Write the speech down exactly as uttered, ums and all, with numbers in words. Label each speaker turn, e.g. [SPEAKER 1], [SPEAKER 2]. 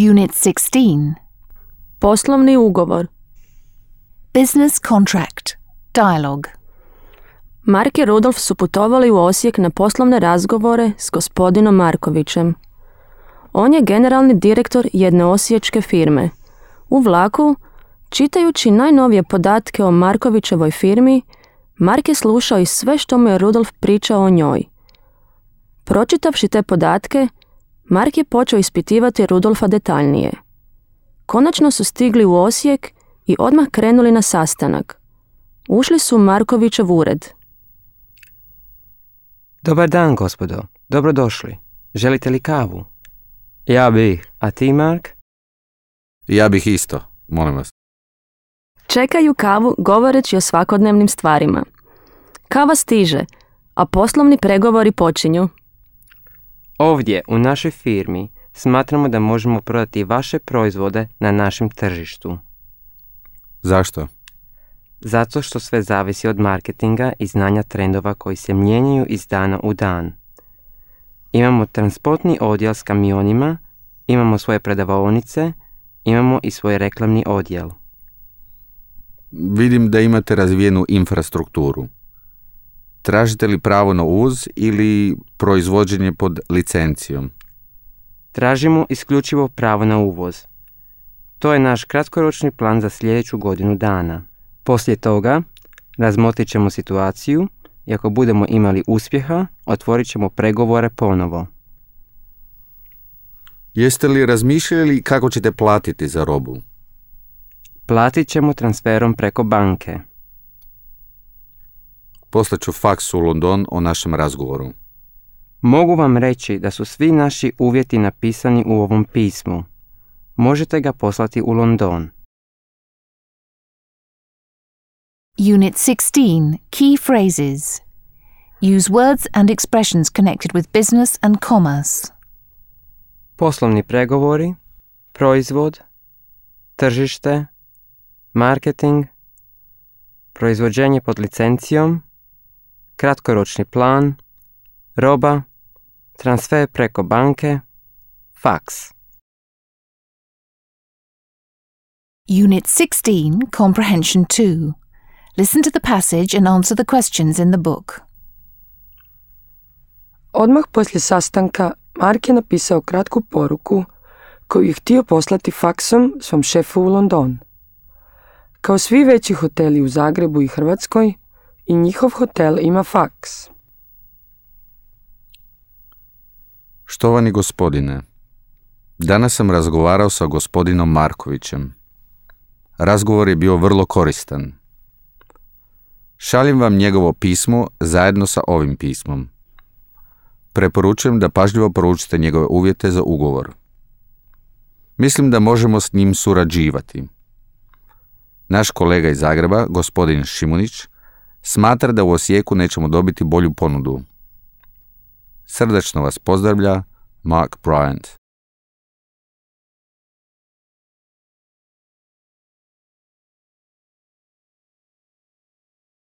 [SPEAKER 1] Unit sixteen.
[SPEAKER 2] Poslovni ugovor.
[SPEAKER 1] Business contract. Dialogue.
[SPEAKER 2] Mark i Rudolf su putovali u Osijek na poslovne razgovore s gospodinom Markovićem. On je generalni direktor jedne osiječke firme. U vlaku, čitajući najnovije podatke o Markovićevoj firmi, Mark je slušao i sve što mu je Rudolf pričao o njoj. Pročitavši te podatke, Mark je počeo ispitivati Rudolfa detaljnije. Konačno su stigli u Osijek i odmah krenuli na sastanak. Ušli su u Markovićev ured.
[SPEAKER 3] Dobar dan, gospodo. Dobrodošli. Želite li kavu? Ja bih. A ti, Mark?
[SPEAKER 4] Ja bih isto, molim vas.
[SPEAKER 2] Čekaju kavu govoreći o svakodnevnim stvarima. Kava stiže, a poslovni pregovori počinju.
[SPEAKER 3] Ovdje, u našoj firmi, smatramo da možemo prodati vaše proizvode na našem tržištu.
[SPEAKER 4] Zašto?
[SPEAKER 3] Zato što sve zavisi od marketinga i znanja trendova koji se mijenjaju iz dana u dan. Imamo transportni odjel s kamionima, imamo svoje prodavaonice, imamo i svoj reklamni odjel.
[SPEAKER 4] Vidim da imate razvijenu infrastrukturu. Tražite li pravo na uvoz ili proizvođenje pod licencijom?
[SPEAKER 3] Tražimo isključivo pravo na uvoz. To je naš kratkoročni plan za sljedeću godinu dana. Poslije toga razmotrit ćemo situaciju i ako budemo imali uspjeha, otvorit ćemo pregovore ponovo.
[SPEAKER 4] Jeste li razmišljali kako ćete platiti za robu?
[SPEAKER 3] Platit ćemo transferom preko banke.
[SPEAKER 4] Poslaću faks u London o našem razgovoru.
[SPEAKER 3] Mogu vam reći da su svi naši uvjeti napisani u ovom pismu. Možete ga poslati u London.
[SPEAKER 1] Unit sixteen. Key phrases. Use words and expressions connected with business and commerce.
[SPEAKER 3] Poslovni pregovori, proizvod, tržište, marketing, proizvođenje pod licencijom, kratkoročni plan, roba, transfer preko banke, faks.
[SPEAKER 1] Unit sixteen. Comprehension two. Listen to the passage and answer the questions in the book.
[SPEAKER 5] Odmah poslije sastanka Mark je napisao kratku poruku koju je htio poslati faksom svom šefu u London. Kao svi veći hoteli u Zagrebu i Hrvatskoj, i njihov hotel ima faks.
[SPEAKER 4] Štovani gospodine, danas sam razgovarao sa gospodinom Markovićem. Razgovor je bio vrlo koristan. Šaljem vam njegovo pismo zajedno sa ovim pismom. Preporučujem da pažljivo proučite njegove uvjete za ugovor. Mislim da možemo s njim surađivati. Naš kolega iz Zagreba, gospodin Šimunić, smatra da u Osijeku nećemo dobiti bolju ponudu. Srdačno vas pozdravlja, Mark Bryant.